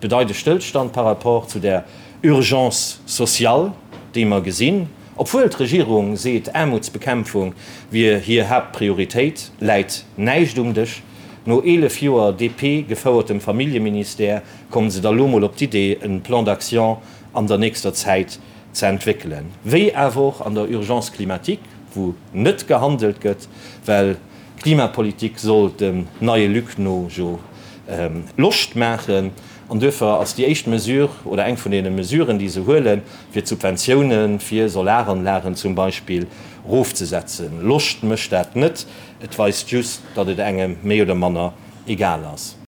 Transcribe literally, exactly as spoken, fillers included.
Bedeit e Stëllstand par rapport zu der Urgence sociale, déi mer gesinn. Obwuel d'Regierung seet, Aarmutsbekämpfung wier hir Haaptprioritéit, läit näischt um Dësch. No eelef Joer D P-gefouertem Familljeministère kommen se da lo mol op d'Idee, e Plan d'action an der nächster Zäit ze entwéckelen. Wéi awer och an der Urgence climatique, wou net gehandelt gëtt, well Klimapolitik soll dem neie Luc no jo Loscht maachen. An duerfir ass déi éischt Mesure oder eng vun deene Mesuren, déi se huelen, fir d'Subventioune fir Solaranlagen zum Beispill erofzesetzen. Loscht mécht dat net, et weist just, datt et engem méi oder manner egal ass.